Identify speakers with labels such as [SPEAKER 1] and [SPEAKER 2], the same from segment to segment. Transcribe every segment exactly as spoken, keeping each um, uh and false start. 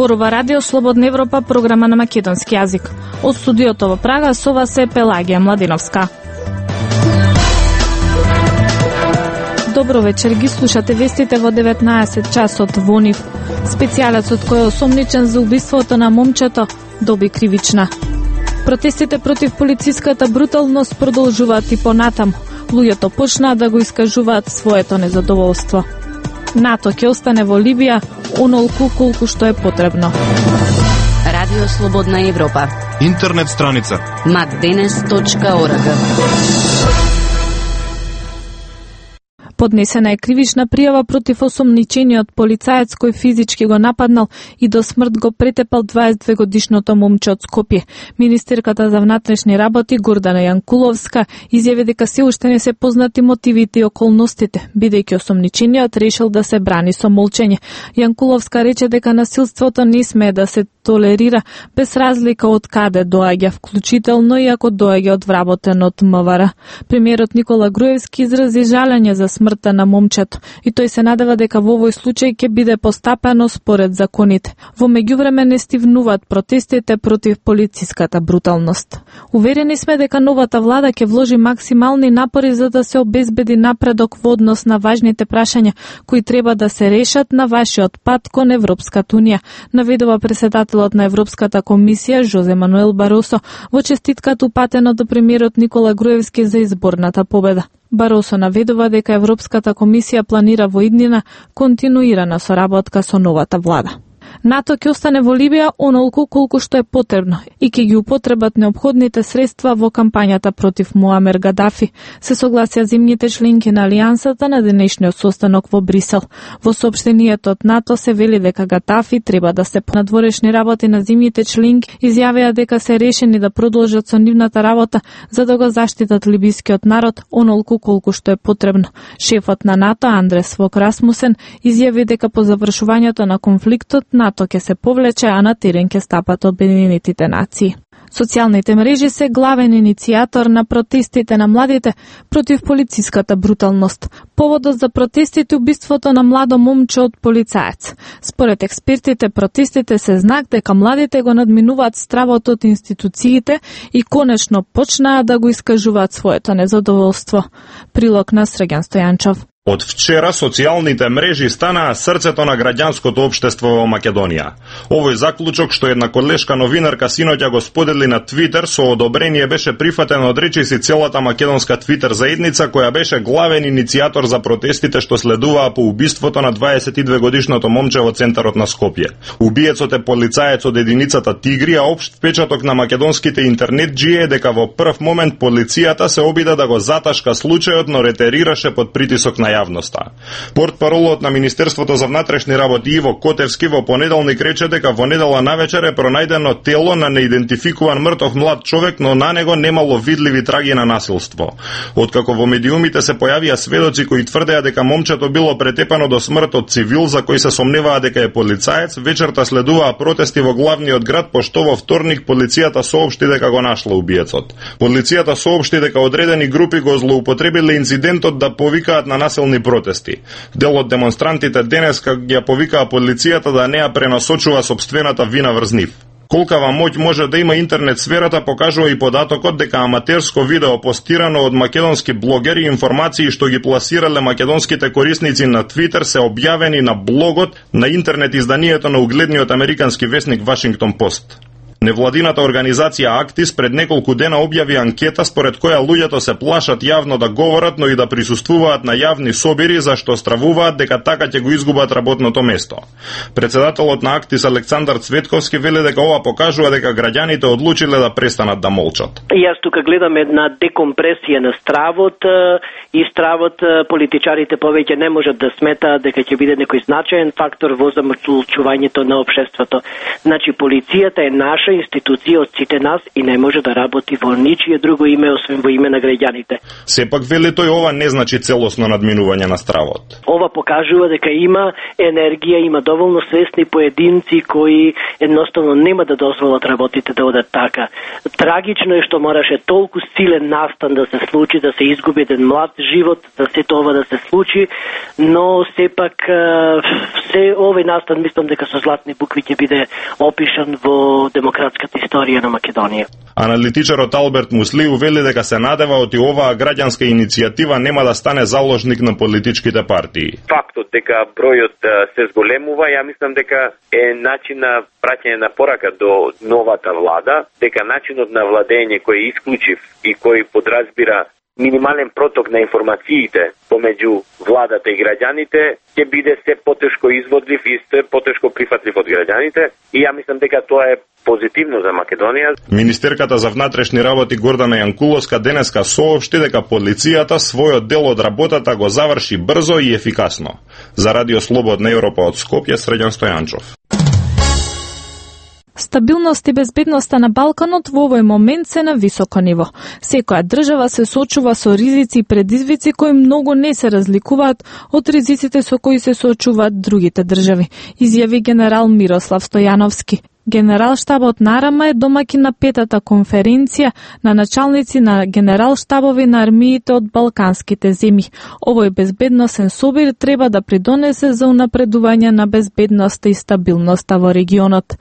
[SPEAKER 1] Зборува Радио Слободна Европа, програма на македонски јазик. Од студиото во Прага со вас е Пелагија Младиновска. Добро вечер, ги слушате вестите во деветнаесет часот во НИВ. Специјалецот кој е осомничен за убиството на момчето доби кривична. Протестите против полициската бруталност продолжуваат и понатаму. Луѓето почнаа да го искажуваат своето незадоволство. НАТО ќе остане во Либија онолку колку што е потребно.
[SPEAKER 2] Радио Слободна Европа.
[SPEAKER 3] Интернет страница
[SPEAKER 2] макденес точка орг.
[SPEAKER 1] Поднесена е кривична пријава против осомничениот полицаец кој физички го нападнал и до смрт го претепал дваесет и две годишното момче од Скопје. Министерката за внатрешни работи Гордана Јанкуловска изјави дека се уште не се познати мотивите и околностите, бидејќи осомничениот решил да се брани со молчење. Јанкуловска рече дека насилството не смее да се толерира без разлика од каде доаѓа, вклучително и ако доаѓа од вработен од МВР. Премиерот Никола Груевски изрази жалење за смртта на момчето и тој се надева дека во овој случај ќе биде постапено според законите. Во меѓувреме не стивнуваат протестите против полициската бруталност. Уверени сме дека новата влада ќе вложи максимални напори за да се обезбеди напредок во однос на важните прашања кои треба да се решат на вашиот пат кон Европската унија, наведува председателот на Европската комисија Жозе Мануел Баросо во честитката упатена до премиерот Никола Груевски за изборната победа. Баросо наведува дека Европската комисија планира во иднина континуирана соработка со новата влада. НАТО ќе остане во Либија онолку колку што е потребно и ќе ги употребат неопходните средства во кампањата против Муамер Гадафи, се согласија земјите членки на Алијансата на денешниот состанок во Брисел. Во соопштението од НАТО се вели дека Гадафи треба да се понадворешни работи на земјите членки, изјавија дека се решени да продолжат со нивната работа за да го заштитат либискиот народ онолку колку што е потребно. Шефот на НАТО Андрес Фок Расмусен изјави дека по завршувањето на конфликтот НАТО ќе се повлече, а на терен ќе стапат Обединетите нации. Социјалните мрежи се главен иницијатор на протестите на младите против полициската бруталност. Поводот за протестите убиството на младо момче од полицаец. Според експертите, протестите се знак дека младите го надминуваат стравот од институциите и конечно почнаа да го искажуваат своето незадоволство. Прилог на Срđan Стојанчов.
[SPEAKER 4] Од вчера социјалните мрежи станаа срцето на граѓанското општество во Македонија. Овој заклучок што една колешка новинарка синоќа го сподели на Твитер со одобрение беше прифатен од речиси целата македонска Твитер заедница која беше главен иницијатор за протестите што следуваа по убиството на дваесет и две годишното момче во центарот на Скопје. Убиецот е полицаец од единицата Тигри, а општ впечаток на македонските интернетџи е дека во прв момент полицијата се обида да го заташка случајот, но ретерираше под притисок на јавноста. Портпаролот на Министерството за внатрешни работи Иво Котевски во понеделник рече дека во недела навечер е пронајдено тело на неидентификуван мртов млад човек, но на него немало видливи траги на насилство. Откако во медиумите се појавија сведоци кои тврдеа дека момчето било претепано до смрт од цивил за кој се сомневаа дека е полицаец, вечерта следуваа протести во главниот град, пошто во вторник полицијата соопшти дека го нашла убиецот. Полицијата соопшти дека одредени групи го злоупотребиле инцидентот да повикаат на насилство протести. Дел од демонстрантите денеска ја повикаа полицијата да не ја пренасочува собствената вина врз нив. Колкава моќ може да има интернет сферата покажува и податокот дека аматерско видео постирано од македонски блогери и информации што ги пласирале македонските корисници на Твитер се објавени на блогот на интернет изданието на угледниот американски весник Вашингтон Пост. Невладината организација Актис пред неколку дена објави анкета според која луѓето се плашат јавно да говорат, но и да присуствуваат на јавни собири зашто стравуваат дека така ќе го изгубат работното место. Председателот на Актис Александар Цветковски вели дека ова покажува дека граѓаните одлучиле да престанат да молчат.
[SPEAKER 5] Јас тука гледам една декомпресија на стравот и стравот политичарите повеќе не можат да сметаат дека ќе биде некој значаен фактор во замрачувањето на општеството. Значи полицијата е наша наша институција од сите нас и не може да работи во ничие друго име освен во име на граѓаните.
[SPEAKER 4] Сепак вели тој ова не значи целосно надминување на стравот.
[SPEAKER 5] Ова покажува дека има енергија, има доволно свесни поединци кои едноставно нема да дозволат работите да одат така. Трагично е што мораше толку силен настан да се случи, да се изгуби еден млад живот, да се тоа да се случи, но сепак се овој настан мислам дека со златни букви ќе биде опишан во демократската историја на Македонија.
[SPEAKER 4] Аналитичарот Алберт Муслиу вели дека се надева оти оваа граѓанска иницијатива нема да стане заложник на политичките партии.
[SPEAKER 3] Фактот дека бројот се зголемува, ја мислам дека е начин на праќање на порака до новата влада, дека начинот на владење кој е исклучив и кој подразбира минимален проток на информациите помеѓу владата и граѓаните ќе биде се потешко изводлив и се потешко прифатлив од граѓаните и ја мислам дека тоа е позитивно за Македонија.
[SPEAKER 4] Министерката за внатрешни работи Гордана Јанкуловска денеска соопшти дека полицијата својот дел од работата го заврши брзо и ефикасно. За Радио Слободна Европа од Скопје, Среđan Стојанчов.
[SPEAKER 1] Стабилност и безбедноста на Балканот во овој момент се на високо ниво. Секоја држава се соочува со ризици и предизвици кои многу не се разликуваат од ризиците со кои се соочуваат другите држави, изјави генерал Мирослав Стојановски. Генералштабот Нарама е домаќин на петата конференција на началници на генералштабови на армиите од балканските земји. Овој безбедносен собир треба да придонесе за унапредување на безбедноста и стабилноста во регионот.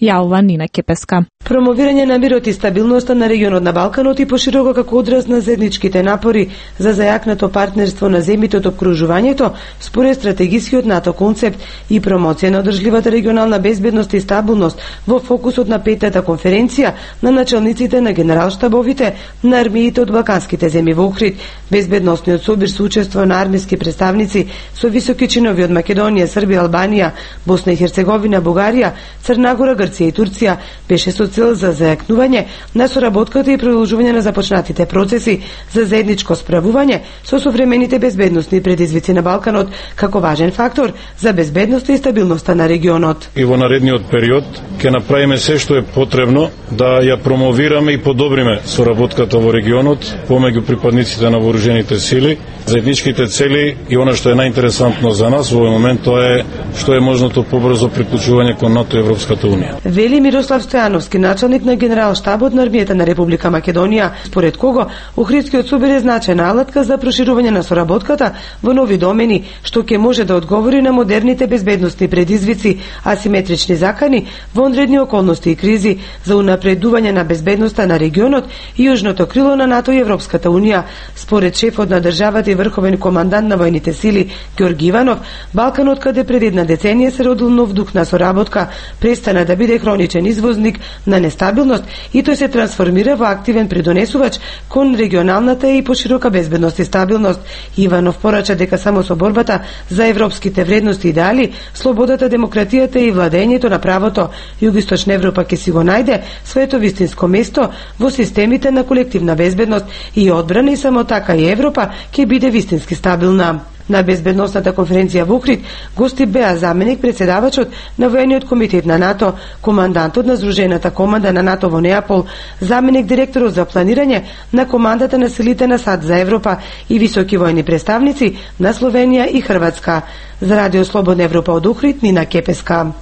[SPEAKER 1] Јавува Нина Кепеска.
[SPEAKER 6] Промовирање на мирот и стабилноста на регионот на Балканот и пошироко како одраз на заедничките напори за зајакнато партнерство на земјите од опкружувањето, според стратегискиот НАТО концепт и промоција на одржливата регионална безбедност и стабилност во фокусот на петата конференција на началниците на генералштабовите на армиите од балканските земји во Охрид. Безбедносниот собир со учество на армиски представници со високи чинови од Македонија, Србија, Албанија, Босна и Херцеговина, Бугарија, Црна Гора, Грција и Турција беше со цел за зајакнување на соработката и продолжување на започнатите процеси за заедничко справување со современите безбедносни предизвици на Балканот како важен фактор за безбедноста и стабилноста на регионот.
[SPEAKER 7] И во наредниот период ќе направиме се што е потребно да ја промовираме и подобриме соработката во регионот помеѓу припадниците на вооружените сили, заедничките цели и она што е најинтересантно за нас во овој момент тоа е што е можното побрзо приклучување кон НАТО и Европската унија.
[SPEAKER 6] Вели Мирослав Стојановски, началник на генералштабот на армијата на Република Македонија, според кого Охридскиот собир е значајна алатка за проширување на соработката во нови домени, што ќе може да одговори на модерните безбедносни предизвици, асиметрични закани, вонредни околности и кризи, за унапредување на безбедноста на регионот и јужното крило на НАТО и Европската унија. Според шефот на државата и врховен командант на војните сили Ѓорги Иванов, Балканот, каде пред една деценија се родил нов дух на соработка, престана да биде хроничен извозник на нестабилност и тој се трансформира во активен придонесувач кон регионалната и поширока безбедност и стабилност. Иванов порача дека само со борбата за европските вредности и идеали, слободата, демократијата и владењето на правото, Југоисточна Европа ќе си го најде своето вистинско место во системите на колективна безбедност и одбрана и само така и Европа ќе биде вистински стабилна. На безбедносната конференција во Охрид гости беа заменик председавачот на војниот комитет на НАТО, командантот на Здружената команда на НАТО во Неапол, заменик директорот за планирање на командата на силите на САД за Европа и високи војни представници на Словенија и Хрватска. За Радио Слободна Европа од Охрид, Нина Кепеска.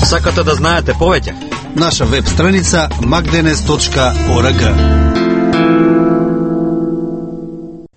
[SPEAKER 8] Сакате да знаете повеќе?
[SPEAKER 9] Наша веб страница magdenes точка org.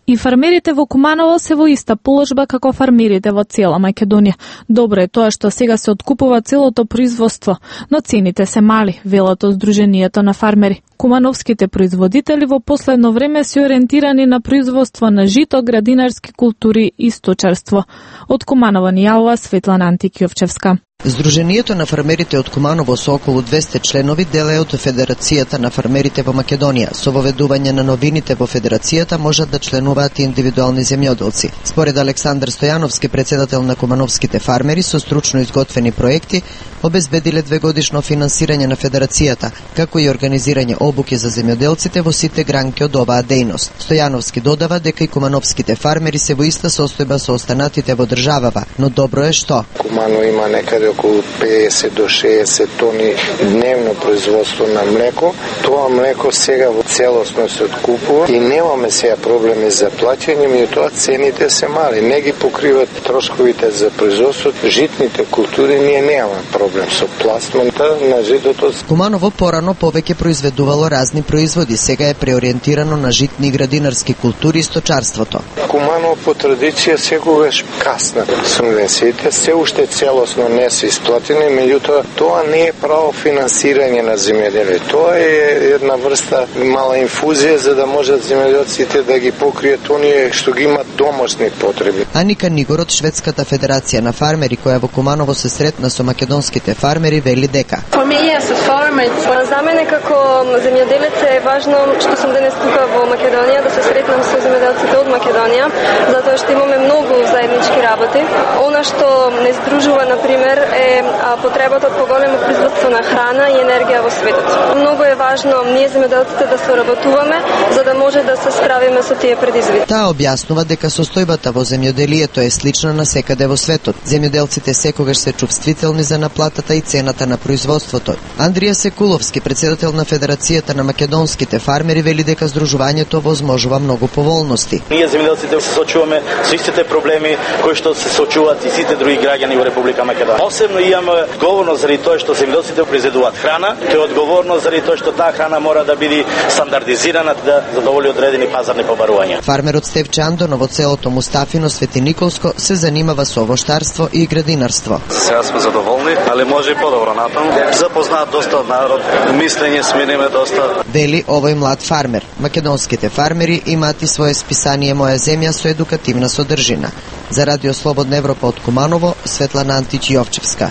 [SPEAKER 1] И фармерите во Куманово се во иста положба како фармерите во цела Македонија. Добро е тоа што сега се откупува целото производство, но цените се мали, велат од Сдруженијето на фармери. Кумановските производители во последно време се ориентирани на производство на жито, градинарски култури и сточарство. Од Куманово ни јавува Светлана Антикјовчевска.
[SPEAKER 10] Сдруженијето на фармерите од Куманово со околу двесте членови дел е од Федерацијата на фармерите во Македонија. Со воведување на новините во Федерацијата можат да членуваат и индивидуални земјоделци. Според Александар Стојановски, председател на Кумановските фармери, со стручно изготвени проекти обезбедиле двегодишно финансирање на Федерацијата, како и организирање обуки за земјоделците во сите гранки од оваа дејност. Стојановски додава дека и кумановските фармери се во иста состојба со останатите во државава, но добро е што
[SPEAKER 11] Кумано има некаде
[SPEAKER 8] околу педесет до шеесет тони дневно производство на млеко. Тоа млеко сега во целосно се откупува и немаме сега проблеми за плаќање, меѓутоа цените се мали, не ги покриват трошковите за производството. Житните култури ние немаме проблем со пластмата на житото.
[SPEAKER 10] Куманово порано повеќе произведувало разни производи, сега е преориентирано на житни и градинарски култури и сточарството.
[SPEAKER 8] Куманово по традиција секогаш касна субвенциите, се уште целосно не се исплатени, меѓутоа тоа не е право финансирање на земјоделие. Тоа е една врста мала инфузија за да можат земјоделците да ги покријат оние што ги имат домашни потреби.
[SPEAKER 10] Аника Нигор од Шведската федерација на фармери, која во Куманово се сретна со македонските фармери, вели дека
[SPEAKER 11] за мене како земјоделец е важно што сум денес тука во Македонија, да се сретнам со земјоделците од Македонија, затоа што имаме многу заеднички работи. Она што не здружува, например, е потребата од поголемо производство на храна и енергија во светот. Многу е важно ние земјоделците да соработуваме за да може да се справиме со тие предизвици.
[SPEAKER 10] Таа објаснува дека состојбата во земјоделието е слична на секаде во светот. Земјоделците секогаш се чувствителни за наплатата и цената на производството. Андрија Секуловски, председател на Федерацијата на македонските фармери, вели дека здружувањето возможува многу поволности.
[SPEAKER 12] Ние земјоделците се сочуваме со истите проблеми кои што се сочуваат и сите други граѓани во Република Македонија. Осебно имаме одговорност заради тоа што земјоделците произведуваат храна, тоа е одговорност заради тоа што таа храна мора да биде стандардизирана да задоволи одредени пазарни побарувања.
[SPEAKER 10] Фармерот Стевче Андонов од селото Мустафино, Свети Николско, се занимава со овоштарство и градинарство.
[SPEAKER 13] Сега сме задоволни, али може и подобро натаму. Запознаат доста народ, мислење смениме доста.
[SPEAKER 10] Вели овој млад фармер. Македонските фармери имаат и свое списание Моја земја со едукативна содржина. За Радио Слободна Европа од Куманово, Светлана Антич Јовчевска.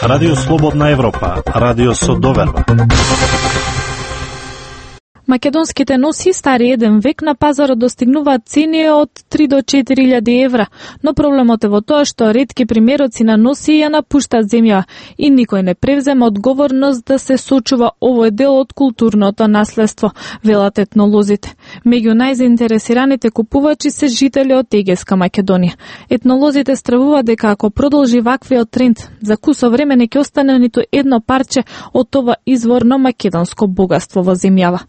[SPEAKER 14] Радио Слободна Европа, радио со доверба.
[SPEAKER 1] Македонските носи стари еден век на пазарот достигнуваат цени од три до четири илјади евра, но проблемот е во тоа што ретки примероци на носи ја напуштаат земја и никој не превзема одговорност да се сочува овој дел од културното наследство, велат етнолозите. Меѓу најзаинтересираните купувачи се жители од Егејска Македонија. Етнолозите стравуваат дека ако продолжи ваквиот тренд, за кусо време не ќе остане ниту едно парче од ова изворно македонско богатство во земјава.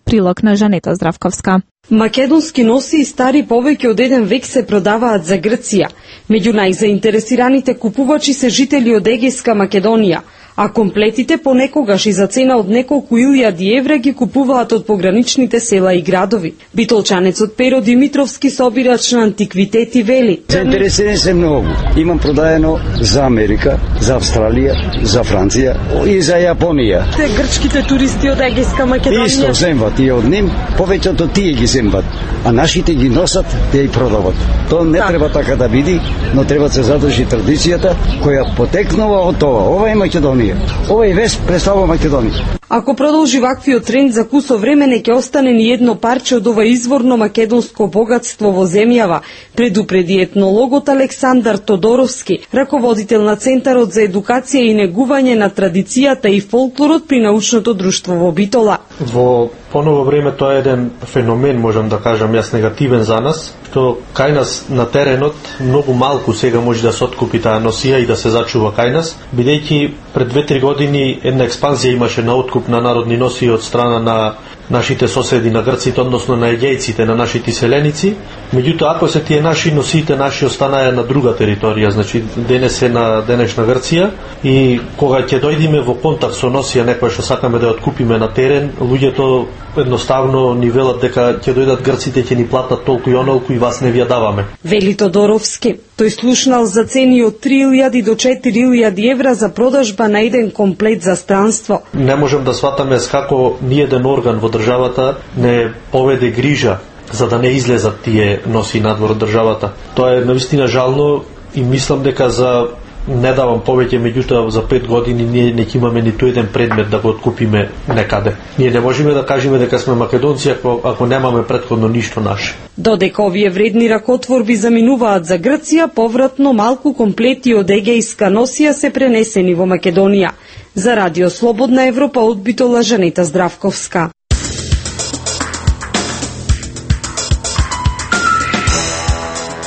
[SPEAKER 1] Прилог на Жанета Здравковска.
[SPEAKER 15] Македонски носи и стари повеќе од еден век се продаваат за Грција. Меѓу најзаинтересираните купувачи се жители од Егејска Македонија, а комплетите понекогаш и за цена од неколку илјади евра ги купуваат од пограничните села и градови. Битолчанецот Перо Димитровски, собирач на антиквитети, вели:
[SPEAKER 16] Заинтересирани се многу. Имам продаено за Америка, за Австралија, за Франција и за Јапонија.
[SPEAKER 15] Те грчките туристи од Егејска Македонија
[SPEAKER 16] исто земват и од ним, повеќето тие ги земват, а нашите ги носат, те и продават. Тоа не так треба така да биде, но треба да се задржи традицијата која потекнува од тоа. Ова е Македонија. Овој вест представува Македонија.
[SPEAKER 15] Ако продолжи ваквиот тренд, за кусо време не ќе остане ни едно парче од ова изворно македонско богатство во земјава, предупреди етнологот Александар Тодоровски, раководител на Центарот за едукација и негување на традицијата и фолклорот при научното друштво во Битола.
[SPEAKER 17] Во поново време тоа е еден феномен, можам да кажам јас, негативен за нас, што кај нас на теренот многу малку сега може да се откупи таа носија и да се зачува кај нас, бидејќи пред две-три години една експанзија имаше на откуп на народни носии од страна на нашите соседи на грците, односно на егејците, на нашите селеници. Меѓутоа, ако се тие наши носиите наши останаја на друга територија, значи денес е на денешна Грција, и кога ќе дојдеме во контакт со носија некоја што сакаме да ја откупиме на терен, луѓето едноставно ни велат дека ќе дојдат грците, ќе ни платат толку и онолку и вас не ви ја даваме.
[SPEAKER 15] Вели Тодоровски. Тој слушнал за цени од три илјади до четири илјади евра за продажба на еден комплет за странство.
[SPEAKER 17] Не можем да сватаме како ни еден орган во државата не поведе грижа за да не излезат тие носи надвор од државата. Тоа е навистина жално и мислам дека за не давам повеќе, меѓутоа за пет години ние не ќе имаме ниту еден предмет да го откупиме некаде. Ние не можеме да кажеме дека сме македонци ако, ако немаме претходно ништо наше.
[SPEAKER 15] Додека овие вредни ракотворби заминуваат за Грција, повратно малку комплети од егејска носија се пренесени во Македонија. За Радио Слободна Европа од Битола, Жанета Здравковска.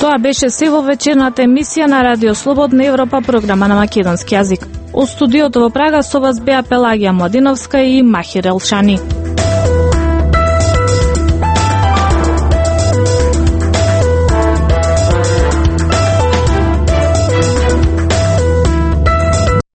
[SPEAKER 1] Тоа Тоа беше се во вечерната емисија на Радио Слободна Европа, програма на македонски јазик. Од студиото во Прага со вас беа Пелагија Младиновска и Махир Елшани.